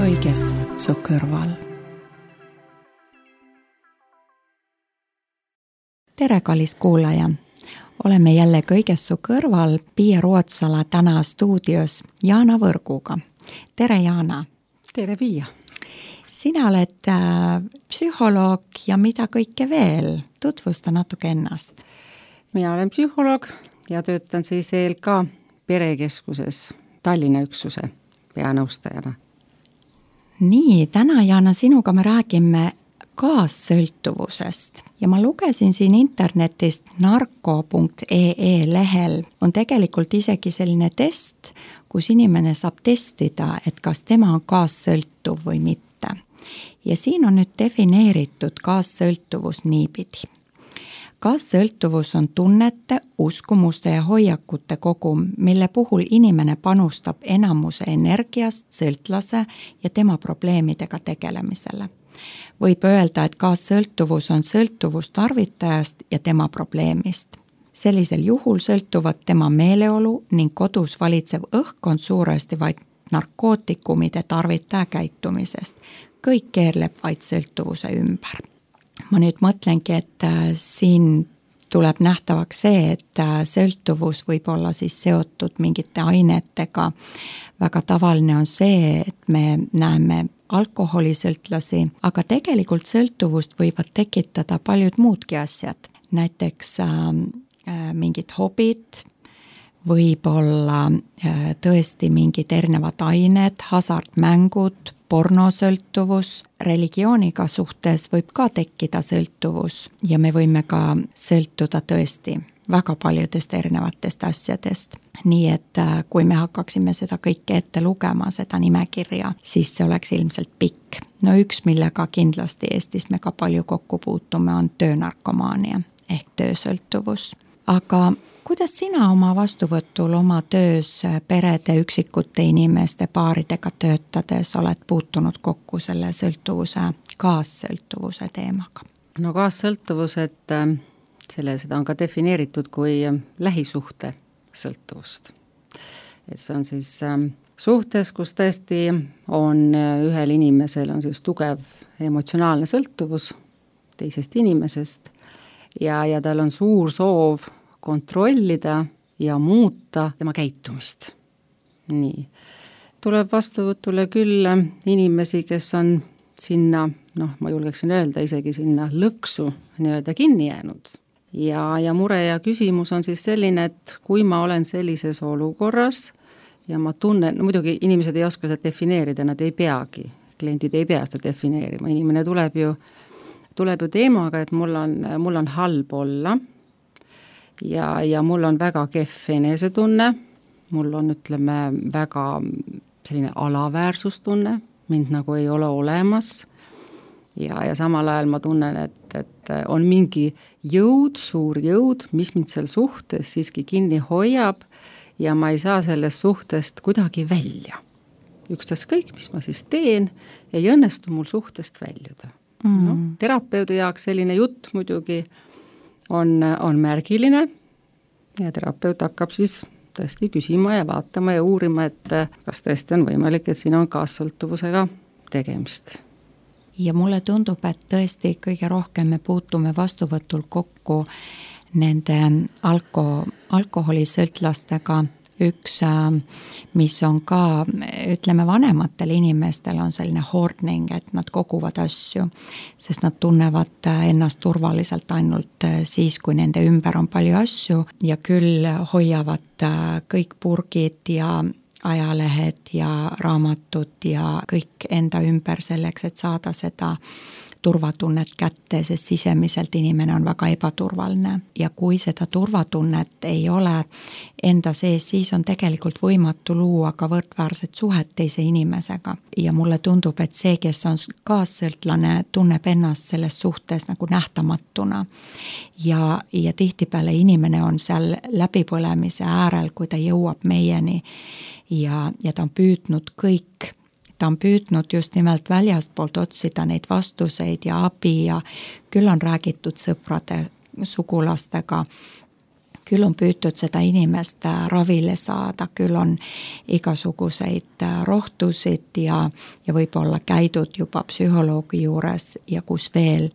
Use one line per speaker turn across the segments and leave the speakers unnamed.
kõiges su kõrval. Tere, kallis kuulaja! Oleme jälle kõiges su kõrval Pia Ruotsala täna stuudios Jaana Võrguga. Tere, Jaana!
Tere, Pia!
Sina oled psühholoog ja mida kõike veel? Tutvusta natuke ennast.
Mina olen psühholoog ja töötan siis ELK perekeskuses Tallinna üksuse peanõustajana.
Nii, täna, Jaana, sinuga me räägime kaassõltuvusest ja ma lugesin siin internetist narko.ee lehel on tegelikult isegi selline test, kus inimene saab testida, et kas tema on kaassõltuv või mitte. Ja siin on nüüd defineeritud kaassõltuvus niipidi. Kaassõltuvus on tunnete, uskumuste ja hoiakute kogum, mille puhul inimene panustab enamuse energiast sõltlase ja tema probleemidega tegelemisele. Võib öelda, et kaassõltuvus on sõltuvus tarvitajast ja tema probleemist. Sellisel juhul sõltuvad tema meeleolu ning kodus valitsev õhkkond suuresti vaid narkootikumide tarvitaja käitumisest. Kõik keerleb vaid sõltuvuse ümber. Ma nüüd mõtlengi, et siin tuleb nähtavaks see, et sõltuvus võib olla siis seotud mingite ainetega. Väga tavaline on see, et me näeme alkoholisõltlasi, aga tegelikult sõltuvust võivad tekitada paljud muudki asjad. Näiteks mingid hobid, võib-olla tõesti mingid erinevad ained, hasartmängud, pornosõltuvus, religiooniga suhtes võib ka tekkida sõltuvus ja me võime ka sõltuda tõesti väga paljudest erinevatest asjadest. Nii et kui me hakkaksime seda kõike ette lugema, seda nimekirja, siis see oleks ilmselt pikk. No üks, millega kindlasti Eestis me ka palju kokku puutume, on töönarkomaania ehk töösõltuvus. Aga kuidas sina oma vastuvõtul oma töös perede, üksikute inimeste paaridega töötades oled puutunud kokku selle sõltuvuse, kaassõltuvuse teemaga?
No kaassõltuvus, et seda on ka defineeritud kui lähisuhte sõltuvust. Et see on siis suhtes, kus tõesti on ühel inimesel on siis tugev emotsionaalne sõltuvus teisest inimesest ja tal on suur soov kontrollida ja muuta tema käitumist. Nii. Tuleb vastuvõtule küll inimesi, kes on sinna, ma julgeksin öelda, isegi sinna lõksu nii-öelda kinni jäänud. Ja mure ja küsimus on siis selline, et kui ma olen sellises olukorras ja ma tunnen, muidugi inimesed ei oska seda defineerida, nad ei peagi, kliendid ei pea seda defineerima, inimene tuleb ju teemaga, et mul on halb olla, ja mul on väga kehv enesetunne, mul on, ütleme, väga selline alaväärsustunne, mind nagu ei ole olemas ja samal ajal ma tunnen, et on mingi jõud, suur jõud, mis mind seal suhtes siiski kinni hoiab ja ma ei saa sellest suhtest kuidagi välja. Ükstaskõik, mis ma siis teen, ei õnnestu mul suhtest väljuda. Terapeudi jaoks selline jutt muidugi on märgiline ja terapeut hakkab siis tõesti küsima ja vaatama ja uurima, et kas tõesti on võimalik, et siin on kaassõltuvusega tegemist.
Ja mulle tundub, et tõesti kõige rohkem me puutume vastuvõtul kokku nende alkoholisõltlastega. Üks, mis on ka, ütleme, vanematel inimestel on selline hoarding, et nad koguvad asju, sest nad tunnevad ennast turvaliselt ainult siis, kui nende ümber on palju asju ja küll hoiavad kõik purgid ja ajalehed ja raamatud ja kõik enda ümber selleks, et saada seda turvatunnet kätte, sest sisemiselt inimene on väga ebaturvaline ja kui seda turvatunnet ei ole enda sees, siis on tegelikult võimatu luua ka võrdväärset suhet teise inimesega ja mulle tundub, et see, kes on kaassõltlane, tunneb ennast selles suhtes nagu nähtamatuna ja tihtipeale inimene on seal läbipõlemise äärel, kui ta jõuab meieni ja ta on püüdnud kõik. Ta on püüdnud just nimelt väljastpoolt otsida neid vastuseid ja abi ja küll on räägitud sõprade, sugulastega küll on püütud seda inimest ravile saada, küll on igasuguseid rohtusid ja võib-olla käidud juba psühholoogi juures ja kus veel.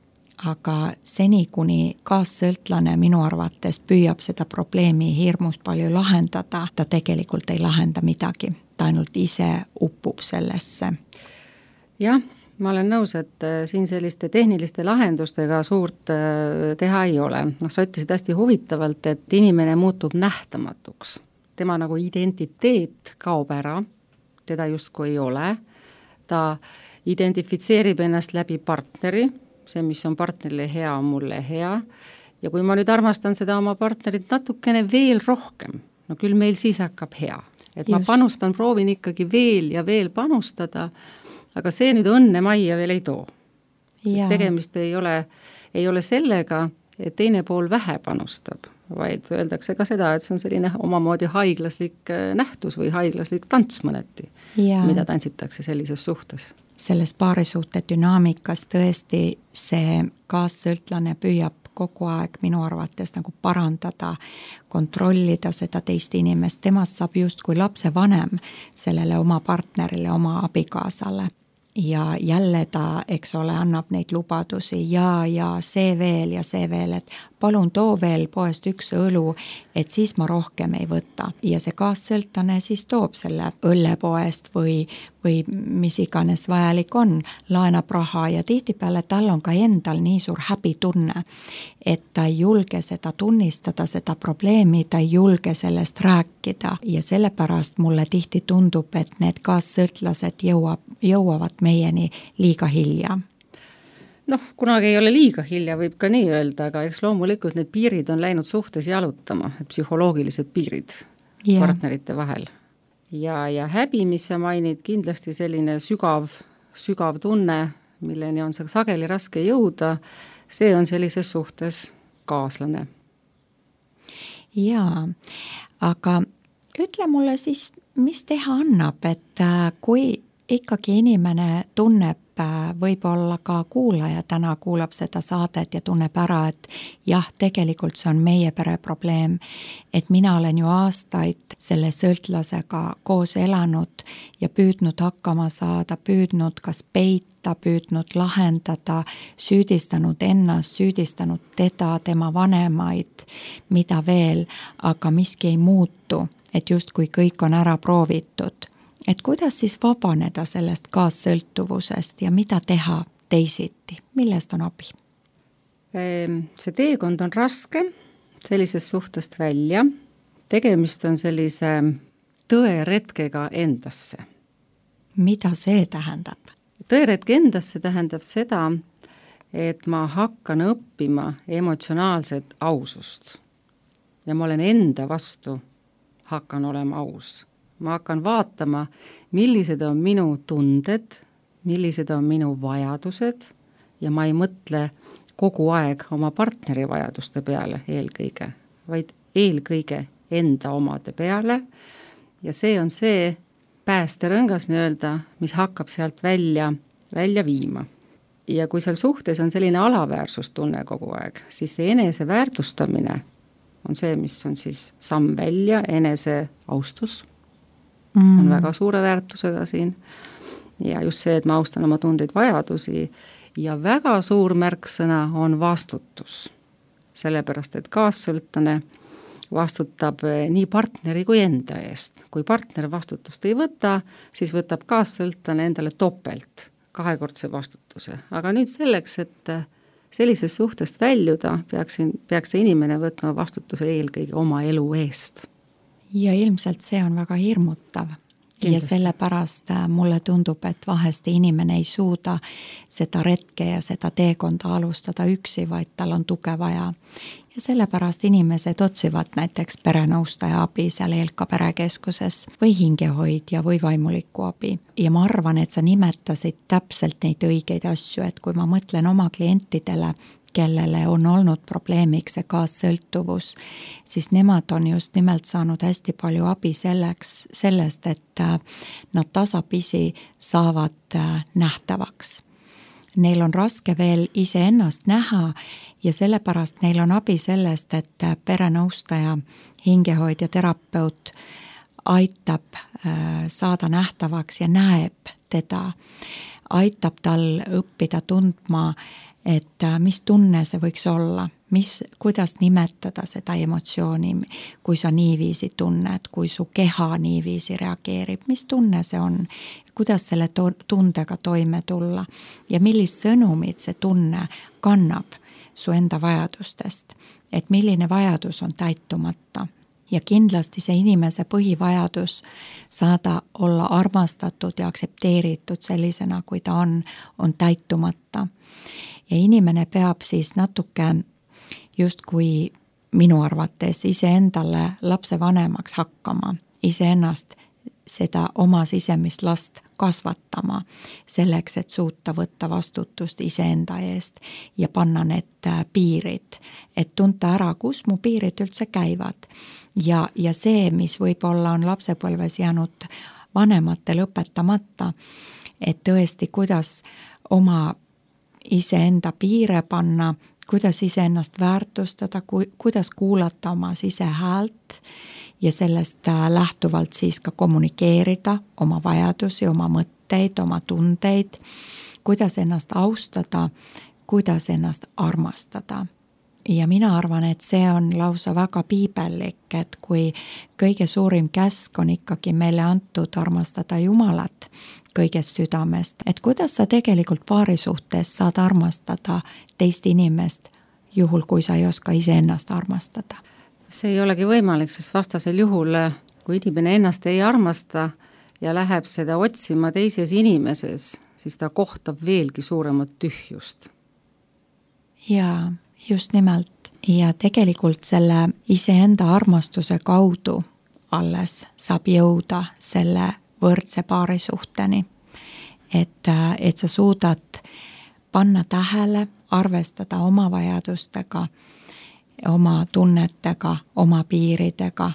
Aga seni, kuni kaassõltlane minu arvates püüab seda probleemi hirmus palju lahendada, ta tegelikult ei lahenda midagi, ta ainult ise uppub sellesse.
Jah, ma olen nõus, et siin selliste tehniliste lahendustega suurt teha ei ole. Sa ütlesid hästi huvitavalt, et inimene muutub nähtamatuks. Tema nagu identiteet kaob ära, teda justkui ei ole. Ta identifitseerib ennast läbi partneri, see, mis on partnerile hea, on mulle hea. Ja kui ma nüüd armastan seda oma partnerit natukene veel rohkem, no küll meil siis hakkab hea. Et ma panustan, proovin ikkagi veel ja veel panustada, aga see nüüd õnne majja veel ei too. Sest tegemist ei ole sellega, et teine pool vähe panustab, vaid öeldakse ka seda, et see on selline omamoodi haiglaslik nähtus või haiglaslik tants mõneti, mida tantsitakse sellises suhtes.
Selles paarisuhte dünaamikas tõesti see kaassõltlane püüab kogu aeg minu arvates nagu parandada, kontrollida seda teist inimest, temast saab justkui lapse vanem sellele oma partnerile, oma abikaasale. Ja jälle ta, eks ole, annab neid lubadusi ja see veel, et palun too veel poest üks õlu, et siis ma rohkem ei võta. Ja see kaassõltlane siis toob selle õllepoest või mis iganes vajalik on, laenab raha ja tihtipeale tal on ka endal nii suur häbitunne, et ta ei julge seda tunnistada, seda probleemi, ta ei julge sellest rääkida ja sellepärast mulle tihti tundub, et need kaassõltlased jõuavad meieni liiga hilja.
Kunagi ei ole liiga hilja, võib ka nii öelda, aga eks loomulikult need piirid on läinud suhtes jalutama, psühholoogilised piirid partnerite vahel. Ja häbi, mis sa mainid, kindlasti selline sügav tunne, milleni on sageli raske jõuda, see on sellises suhtes kaaslane.
Jaa, aga ütle mulle siis, mis teha annab, et kui ikkagi inimene tunneb, võib-olla ka kuulaja täna kuulab seda saadet ja tunneb ära, et jah, tegelikult see on meie pere probleem, et mina olen ju aastaid selle sõltlasega koos elanud ja püüdnud hakkama saada, püüdnud kas peita, püüdnud lahendada, süüdistanud ennast, süüdistanud teda, tema vanemaid, mida veel, aga miski ei muutu, et justkui kõik on ära proovitud. Et kuidas siis vabaneda sellest kaassõltuvusest ja mida teha teisiti? Millest on abi?
See teekond on raske sellisest suhtest välja. Tegemist on sellise tõeretkega endasse.
Mida see tähendab?
Tõeretk endasse tähendab seda, et ma hakkan õppima emotsionaalset ausust. Ja ma olen enda vastu, hakkan olema aus. Ma hakkan vaatama, millised on minu tunded, millised on minu vajadused ja ma ei mõtle kogu aeg oma partneri vajaduste peale eelkõige, vaid eelkõige enda omade peale ja see on see päästerõngas nii-öelda, mis hakkab sealt välja viima. Ja kui seal suhtes on selline alaväärsustunne kogu aeg, siis see enese väärtustamine on see, mis on siis samm välja, enese austus on väga suure väärtusega siin ja just see, et ma austan oma tundeid, vajadusi ja väga suur märksõna on vastutus. Sellepärast, et kaassõltlane vastutab nii partneri kui enda eest. Kui partner vastutust ei võta, siis võtab kaassõltlane endale topelt, kahekordse vastutuse. Aga nüüd selleks, et sellisest suhtest väljuda, peaks see inimene võtma vastutuse eelkõige oma elu eest.
Ja ilmselt see on väga hirmutav. Kindlasti. Ja sellepärast mulle tundub, et vahest inimene ei suuda seda retke ja seda teekonda alustada üksi, vaid tal on tuge vaja. Ja sellepärast inimesed otsivad näiteks perenõustaja abi seal Eelka perekeskuses või hingehoidja või vaimuliku abi. Ja ma arvan, et sa nimetasid täpselt neid õigeid asju, et kui ma mõtlen oma klientidele, kellele on olnud probleemiks see kaassõltuvus, siis nemad on just nimelt saanud hästi palju abi sellest, et nad tasapisi saavad nähtavaks. neil on raske veel iseennast näha ja sellepärast neil on abi sellest, et perenõustaja, hingehoidja, terapeut aitab saada nähtavaks ja näeb teda, aitab tal õppida tundma, et mis tunne see võiks olla, kuidas nimetada seda emotsiooni, kui sa niiviisi tunned, kui su keha niiviisi reageerib, mis tunne see on, kuidas selle tundega toime tulla ja millist sõnumit see tunne kannab su enda vajadustest, et milline vajadus on täitumata. Ja kindlasti see inimese põhivajadus saada olla armastatud ja aksepteeritud sellisena, kui ta on täitumata. Ja inimene peab siis natuke justkui minu arvates iseendale lapsevanemaks hakkama, iseennast seda oma sisemist last kasvatama selleks, et suuta võtta vastutust iseenda eest ja panna need piirid, et tunta ära, kus mu piirid üldse käivad. Ja see, mis võib-olla on lapsepõlves jäänud vanematel õpetamata, et tõesti, kuidas oma iseenda piire panna, kuidas iseennast väärtustada, kuidas kuulata oma sisehäält ja sellest lähtuvalt siis ka kommunikeerida oma vajadusi, oma mõtteid, oma tundeid, kuidas ennast austada, kuidas ennast armastada. Ja mina arvan, et see on lausa väga piibellik, et kui kõige suurim käsk on ikkagi meile antud armastada Jumalat kõigest südamest, et kuidas sa tegelikult paari suhtes saad armastada teist inimest, juhul kui sa ei oska iseennast armastada.
See ei olegi võimalik, sest vastasel juhul, kui inimene ennast ei armasta ja läheb seda otsima teises inimeses, siis ta kohtab veelgi suuremat tühjust.
Jaa, just nimelt. Ja tegelikult selle iseenda armastuse kaudu alles saab jõuda selle võrdse paarisuhteni. Et sa suudad panna tähele, arvestada oma vajadustega, oma tunnetega, oma piiridega,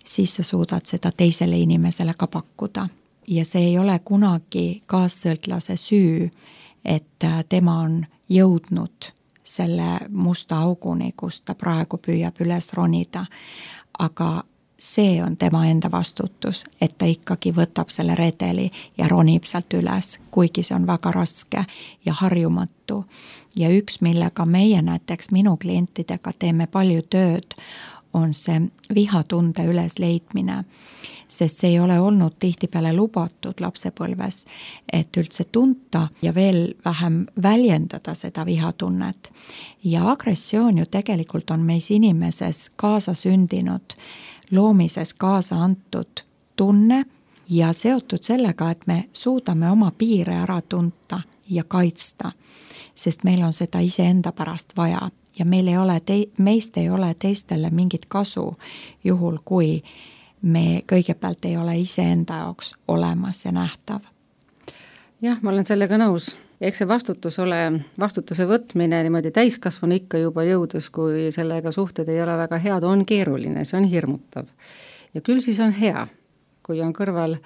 siis sa suudad seda teisele inimesele ka pakkuda. Ja see ei ole kunagi kaassõltlase süü, et tema on jõudnud selle musta auguni, kus ta praegu püüab üles ronida. Aga see on tema enda vastutus, et ta ikkagi võtab selle redeli ja ronib sealt üles, kuigi see on väga raske ja harjumatu. Ja üks, millega meie näiteks minu klientidega teeme palju tööd, on see vihatunde ülesleidmine, sest see ei ole olnud tihtipeale lubatud lapsepõlves, et üldse tunta ja veel vähem väljendada seda vihatunnet. Ja agressioon ju tegelikult on meis inimeses kaasa sündinud, loomises kaasa antud tunne ja seotud sellega, et me suudame oma piire ära tunta ja kaitsta, sest meil on seda iseenda pärast vaja. Ja meist ei ole teistele mingit kasu juhul, kui me kõigepealt ei ole iseenda jaoks olemas ja nähtav.
Jah, ma olen sellega nõus. Eks see vastutuse võtmine niimoodi täiskasvanu ikka juba jõudes, kui sellega suhted ei ole väga head, on keeruline, see on hirmutav. Ja küll siis on hea, kui on kõrval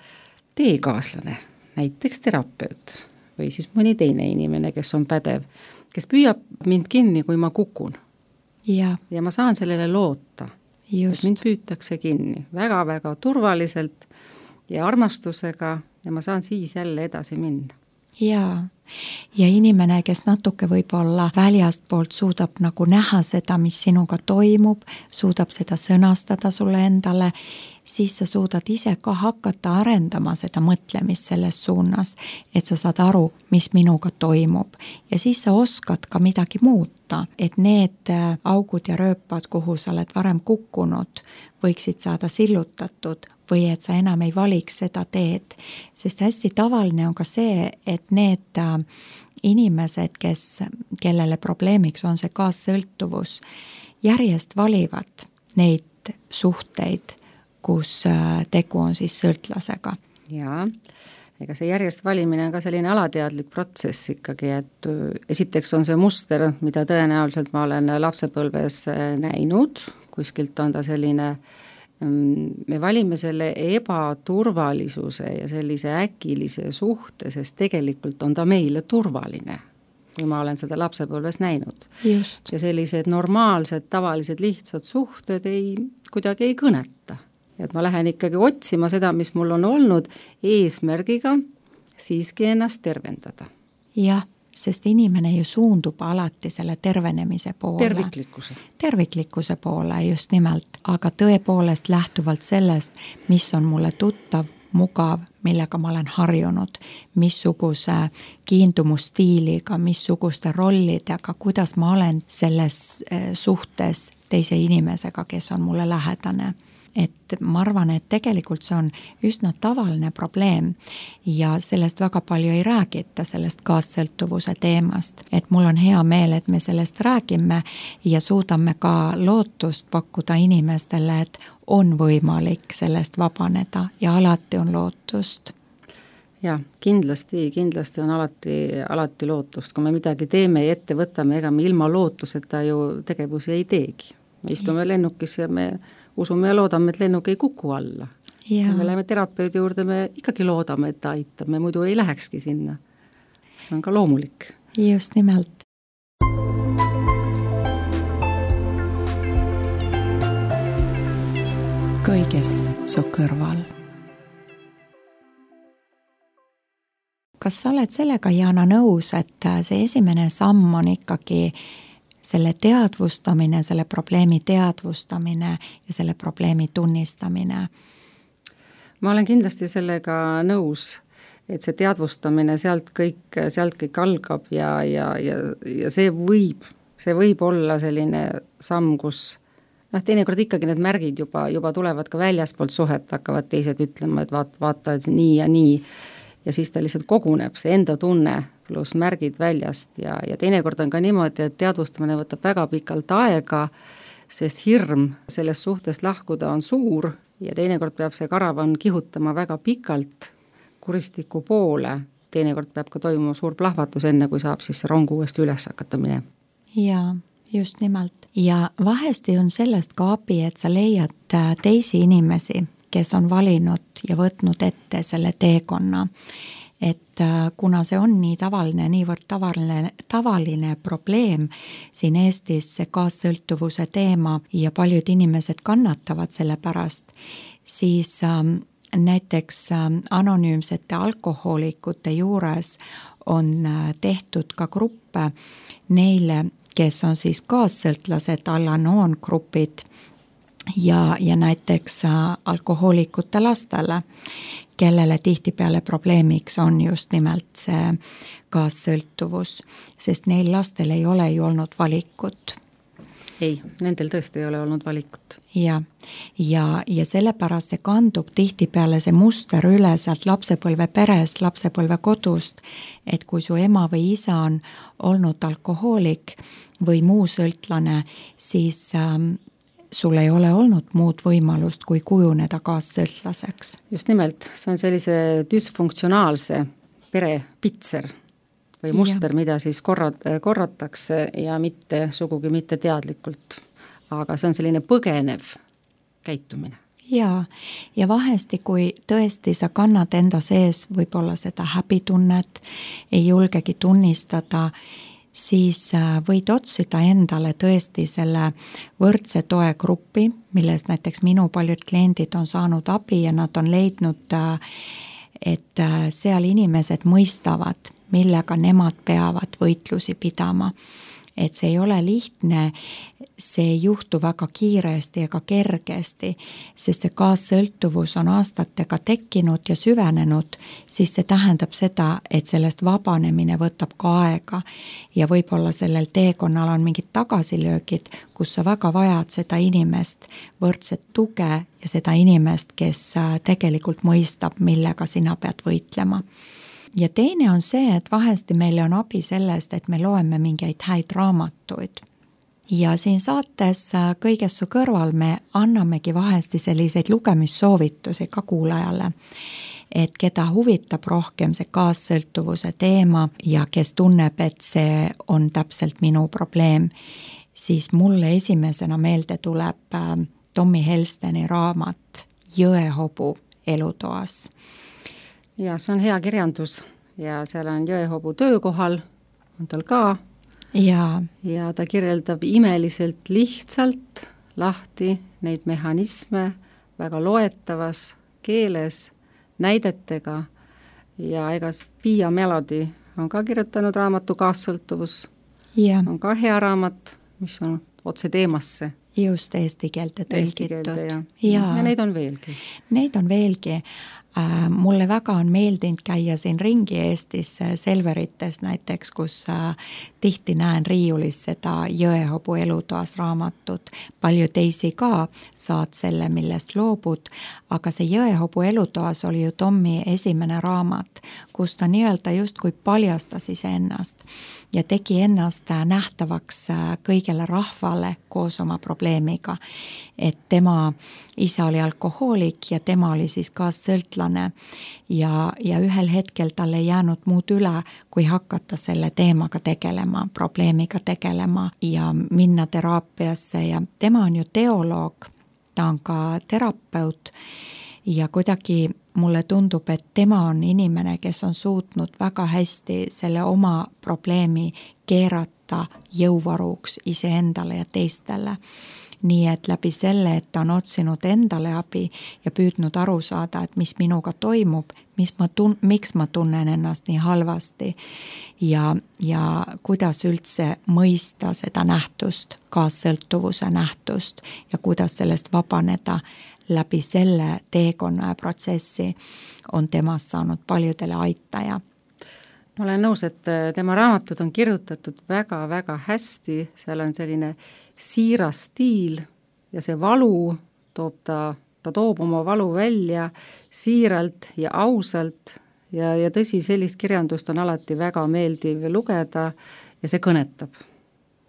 teekaaslane, näiteks terapeut või siis mõni teine inimene, kes on pädev, kes püüab mind kinni, kui ma kukun. Ja ma saan sellele loota, et mind püütakse kinni väga-väga turvaliselt ja armastusega ja ma saan siis jälle edasi minna.
Ja inimene, kes natuke võib-olla väljast poolt suudab nagu näha seda, mis sinuga toimub, suudab seda sõnastada sulle endale, siis sa suudad ise ka hakata arendama seda mõtlemist selles suunas, et sa saad aru, mis minuga toimub. Ja siis sa oskad ka midagi muuta, et need augud ja rööpad, kuhu sa oled varem kukkunud, võiksid saada sillutatud või et sa enam ei valiks seda teed. Sest hästi tavaline on ka see, et need inimesed, kellele probleemiks on see kaassõltuvus, järjest valivad neid suhteid, kus tegu on siis sõltlasega.
Jaa, ega see järjest valimine on ka selline alateadlik protsess ikkagi, et esiteks on see muster, mida tõenäoliselt ma olen lapsepõlves näinud, kuskilt on ta selline, me valime selle ebaturvalisuse ja sellise äkilise suhte, sest tegelikult on ta meile turvaline. kui ma olen seda lapsepõlves näinud.
Just.
Ja sellised normaalsed, tavalised, lihtsad suhted kuidagi ei kõneta. Et ma lähen ikkagi otsima seda, mis mul on olnud, eesmärgiga siiski ennast tervendada.
Jah, sest inimene ju suundub alati selle tervenemise poole. Terviklikkuse poole just nimelt, aga tõepoolest lähtuvalt sellest, mis on mulle tuttav, mugav, millega ma olen harjunud, missuguse kiindumusstiiliga, missuguste rollidega, kuidas ma olen selles suhtes teise inimesega, kes on mulle lähedane. Et ma arvan, et tegelikult see on üsna tavaline probleem ja sellest väga palju ei räägita, sellest kaassõltuvuse teemast. Et mul on hea meel, et me sellest räägime ja suudame ka lootust pakkuda inimestele, et on võimalik sellest vabaneda ja alati on lootust.
Ja, kindlasti on alati lootust. Kui me midagi teeme ja ette võtame, ega me ilma lootuseta ju tegevusi ei teegi. Me istume lennukis ja me usume ja loodame, et lennuk ei kuku alla. Ja me läheme terapeudi juurde, me ikkagi loodame, et ta aitab, me muidu ei lähekski sinna. See on ka loomulik.
Just nimelt. Kõiges su kõrval. Kas sa oled sellega, Jana, nõus, et see esimene samm on ikkagi selle teadvustamine, selle probleemi teadvustamine ja selle probleemi tunnistamine?
Ma olen kindlasti sellega nõus, et see teadvustamine sealt kõik algab ja see võib olla selline samm, kus teinekord ikkagi need märgid juba tulevad ka väljaspoolt suhet, hakkavad teised ütlema, et vaata et nii ja nii ja siis ta lihtsalt koguneb, see enda tunne pluss märgid väljast ja teinekord on ka niimoodi, et teadvustamine võtab väga pikalt aega, sest hirm sellest suhtest lahkuda on suur ja teinekord peab see karavan kihutama väga pikalt kuristiku poole, teinekord peab ka toimuma suur plahvatus enne, kui saab siis see rong uuesti üles hakata minema.
Jaa, just nimelt. Ja vahesti on sellest ka abi, et sa leiad teisi inimesi, kes on valinud ja võtnud ette selle teekonna. Et kuna see on nii tavaline, niivõrd tavaline probleem siin Eestis, see kaassõltuvuse teema ja paljud inimesed kannatavad selle pärast, siis näiteks anonüümsete alkohoolikute juures on tehtud ka gruppe neile, kes on siis kaassõltlased, Al-Anon grupid ja näiteks alkohoolikute lastele, kellele tihtipeale probleemiks on just nimelt see kaassõltuvus, sest neil lastel ei ole ju olnud valikut.
Ei, nendel tõesti ei ole olnud valikut.
Ja sellepärast see kandub tihtipeale see muster üle sealt lapsepõlve perest, lapsepõlve kodust, et kui su ema või isa on olnud alkohoolik või muu sõltlane, siis sul ei ole olnud muud võimalust, kui kujuneda kaassõltlaseks.
Just nimelt, see on sellise dysfunktsionaalse perepitser või muster, mida siis korratakse ja sugugi mitte teadlikult. Aga see on selline põgenev käitumine.
Ja vahesti, kui tõesti sa kannad enda sees võib-olla seda häbitunnet, ei julgegi tunnistada, siis võid otsida endale tõesti selle võrdse toe gruppi, milles näiteks minu paljud kliendid on saanud abi ja nad on leidnud, et seal inimesed mõistavad, millega nemad peavad võitlusi pidama. Et see ei ole lihtne, see ei juhtu väga kiiresti ega kergesti, sest see kaassõltuvus on aastatega tekkinud ja süvenenud, siis see tähendab seda, et sellest vabanemine võtab ka aega ja võib-olla sellel teekonnal on mingid tagasilöögid, kus sa väga vajad seda inimest, võrdset tuge ja seda inimest, kes tegelikult mõistab, millega sina pead võitlema. Ja teine on see, et vahesti meile on abi sellest, et me loeme mingeid häid raamatuid. Ja siin saates Kõiges su kõrval me annamegi vahesti selliseid lugemissoovitusi ka kuulajale, et keda huvitab rohkem see kaassõltuvuse teema ja kes tunneb, et see on täpselt minu probleem, siis mulle esimesena meelde tuleb Tommy Helsteni raamat Jõehobu elutoas.
Ja see on hea kirjandus ja seal on jõehobu töökohal on tal ka ja ta kirjeldab imeliselt lihtsalt lahti neid mehhanisme väga loetavas keeles, näidetega ja ega Pia Melody on ka kirjutanud raamatu Kaassõltuvus, on ka hea raamat, mis on otse teemasse.
Just eesti keelte tõlgitud.
Ja neid on veelgi.
Neid on veelgi. Mulle väga on meeldinud käia siin ringi Eestis Selverites näiteks, kus tihti näen riiulis seda Jõehobu elutoas raamatut. Palju teisi ka saad selle, millest loobud, aga see Jõehobu elutoas oli ju Tommi esimene raamat, kus ta nii-öelda justkui paljastas iseennast ja tegi ennast nähtavaks kõigele rahvale koos oma probleemiga. Et tema isa oli alkohoolik ja tema oli siis kaassõltlane ja ühel hetkel tal ei jäänud muud üle, kui hakata selle teemaga tegelema, probleemiga tegelema ja minna teraapiasse ja tema on ju teoloog, ta on ka terapeut ja kuidagi mulle tundub, et tema on inimene, kes on suutnud väga hästi selle oma probleemi keerata jõuvaruks iseendale ja teistele. Nii et läbi selle, et ta on otsinud endale abi ja püüdnud aru saada, et mis minuga toimub, miks ma tunnen ennast nii halvasti ja kuidas üldse mõista seda nähtust, kaassõltuvuse nähtust ja kuidas sellest vabaneda läbi selle teekonna ja protsessi on temast saanud paljudele aitaja.
Ma olen nõus, et tema raamatud on kirjutatud väga-väga hästi, seal on selline siiras stiil ja see valu ta toob oma valu välja siiralt ja ausalt ja tõsi, sellist kirjandust on alati väga meeldiv lugeda ja see kõnetab.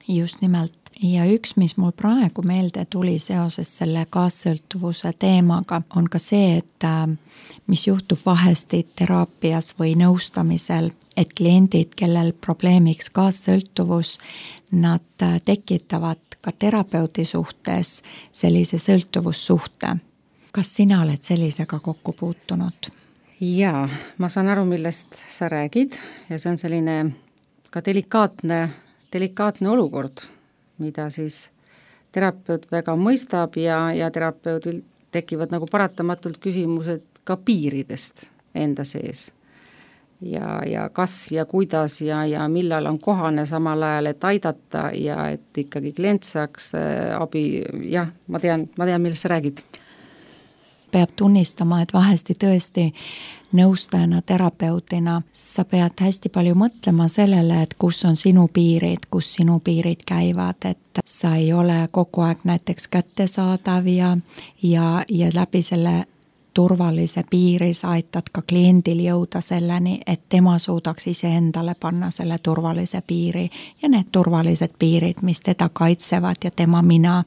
Just nimelt. Ja üks, mis mul praegu meelde tuli seoses selle kaassõltuvuse teemaga, on ka see, et mis juhtub vahesti teraapias või nõustamisel, et kliendid, kellel probleemiks kaassõltuvus, nad tekitavad ka terapeudi suhtes sellise sõltuvussuhte. Kas sina oled sellisega kokku puutunud?
Jaa, ma saan aru, millest sa räägid ja see on selline ka delikaatne olukord, mida siis terapeut väga mõistab ja terapeudil tekivad nagu paratamatult küsimused ka piiridest enda sees. Ja kas ja kuidas ja millal on kohane samal ajal, et aidata ja et ikkagi klient saaks abi. Jah, ma tean, millest sa räägid.
Peab tunnistama, et vahesti tõesti nõustajana, terapeutina sa pead hästi palju mõtlema sellele, et kus on sinu piirid, kus sinu piirid käivad, et sa ei ole kogu aeg näiteks kättesaadav ja läbi selle turvalise piiri sa aitad ka kliendil jõuda selleni, et tema suudaks iseendale panna selle turvalise piiri ja need turvalised piirid, mis teda kaitsevad ja tema mina,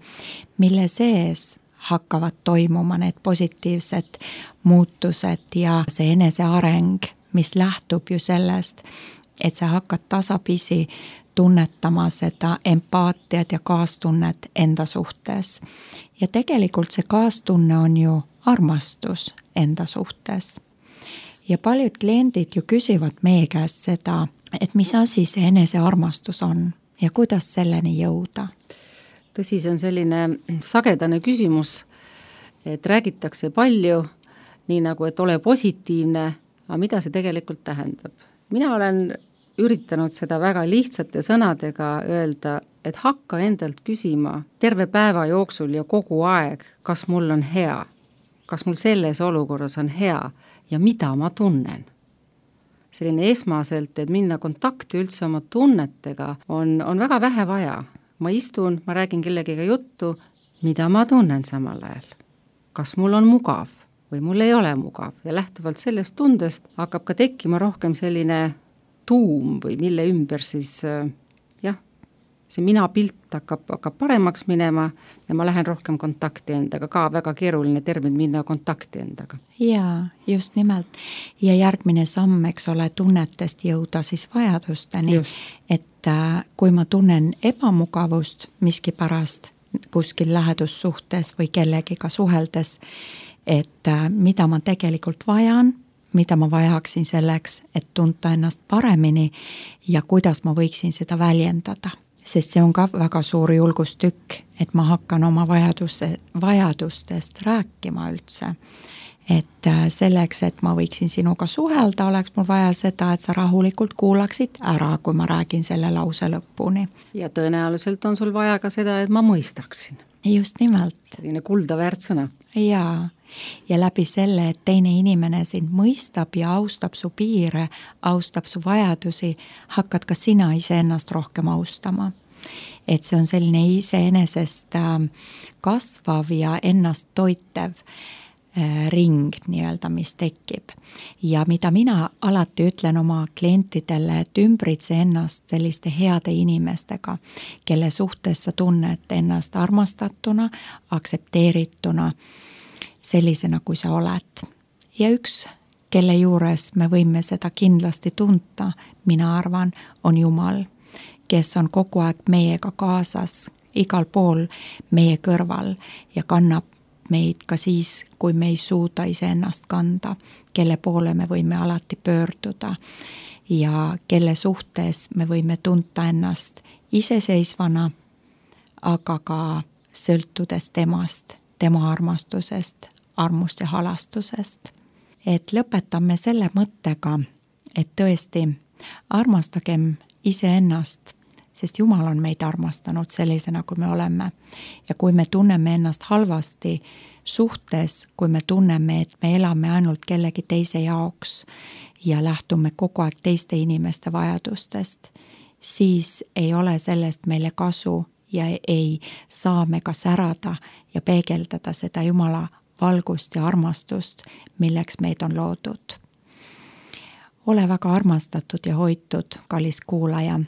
mille sees hakkavad toimuma need positiivsed muutused ja see eneseareng, mis lähtub ju sellest, et sa hakkad tasapisi tunnetama seda empaatiat ja kaastunnet enda suhtes. Ja tegelikult see kaastunne on ju armastus enda suhtes. Ja paljud kliendid ju küsivad meie käest seda, et mis asi see enesearmastus on ja kuidas selleni jõuda.
Tõsi, see on selline sagedane küsimus, et räägitakse palju, nii nagu, et ole positiivne, aga mida see tegelikult tähendab? Mina olen üritanud seda väga lihtsate sõnadega öelda, et hakka endalt küsima terve päeva jooksul ja kogu aeg, kas mul on hea, kas mul selles olukorras on hea ja mida ma tunnen. Selline esmaselt, et minna kontakti üldse oma tunnetega on väga vähe vaja. Ma istun, ma räägin kellegiga juttu, mida ma tunnen samal ajal. Kas mul on mugav või mul ei ole mugav ja lähtuvalt sellest tundest hakkab ka tekkima rohkem selline tuum või mille ümber siis see mina pilt hakkab paremaks minema ja ma lähen rohkem kontakti endaga, ka väga keeruline termin minna kontakti endaga.
Jaa, just nimelt. Ja järgmine samm, eks ole, tunnetest jõuda siis vajadusteni, et kui ma tunnen ebamugavust miskipärast kuskil lähedussuhtes või kellegiga suheldes, et mida ma tegelikult vajan, mida ma vajaksin selleks, et tunta ennast paremini ja kuidas ma võiksin seda väljendada. Sest see on ka väga suur julgustükk, et ma hakkan oma vajadustest rääkima üldse. Et selleks, et ma võiksin sinuga suhelda, oleks mul vaja seda, et sa rahulikult kuulaksid ära, kui ma räägin selle lause lõpuni.
Ja tõenäoliselt on sul vaja ka seda, et ma mõistaksin.
Just nimelt.
Selline kuldaväärt sõna.
Jaa. Ja läbi selle, et teine inimene sind mõistab ja austab su piire, austab su vajadusi, hakkad ka sina iseennast rohkem austama. Et see on selline iseenesest kasvav ja ennast toitev ring nii-öelda, mis tekib. Ja mida mina alati ütlen oma klientidele, et ümbritse ennast selliste heade inimestega, kelle suhtes sa tunned ennast armastatuna, aksepteerituna, sellisena, kui sa oled. Ja üks, kelle juures me võime seda kindlasti tunta, mina arvan, on Jumal, kes on kogu aeg meiega kaasas, igal pool meie kõrval ja kannab meid ka siis, kui me ei suuda iseennast kanda, kelle poole me võime alati pöörduda ja kelle suhtes me võime tunta ennast iseseisvana, aga ka sõltudes temast, tema armastusest, armust ja halastusest. Et lõpetame selle mõttega, et tõesti armastagem iseennast, sest Jumal on meid armastanud sellisena, kui me oleme. Ja kui me tunneme ennast halvasti suhtes, kui me tunneme, et me elame ainult kellegi teise jaoks ja lähtume kogu aeg teiste inimeste vajadustest, siis ei ole sellest meile kasu ja ei saa me ka särada ja peegeldada seda Jumala valgust ja armastust, milleks meid on loodud. Ole väga armastatud ja hoitud, kallis kuulaja.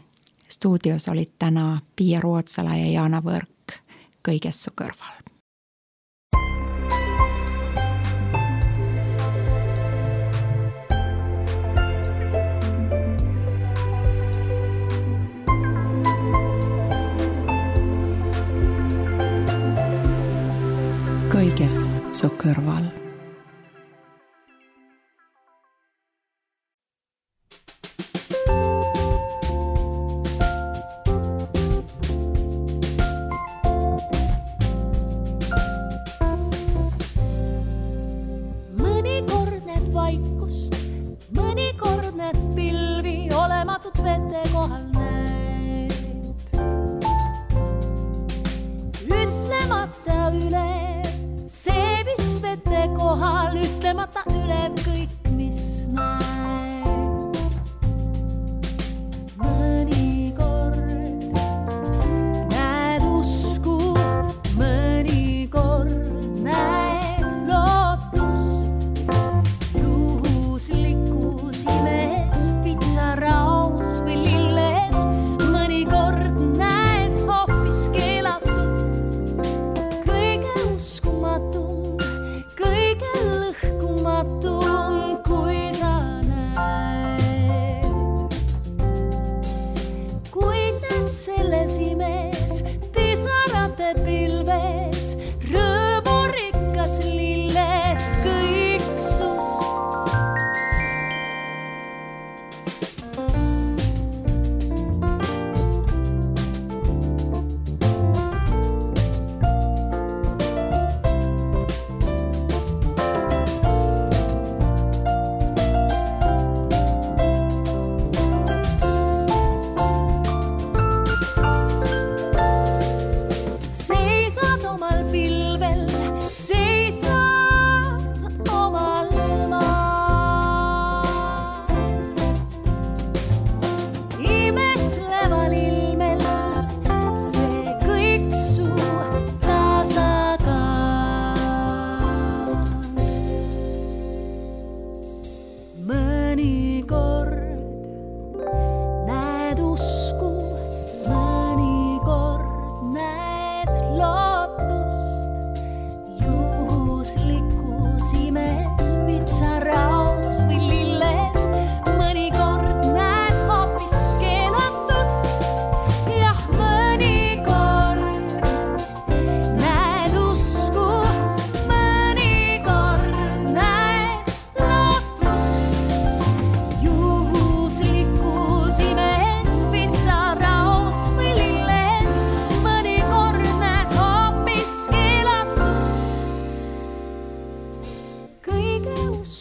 Stuudios olid täna Pia Ruotsala ja Jaana Võrk kõiges su kõrval. Kõiges su kõrval.
Vete kohal näed. Ütlemata üle see, mis vete kohal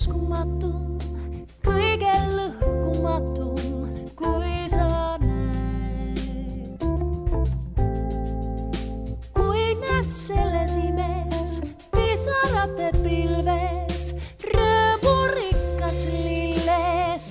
uskumatum, kõige lõhkumatum, kui sa näed. Kui näed selles imes, pisarate pilves, rõõmurikas lilles,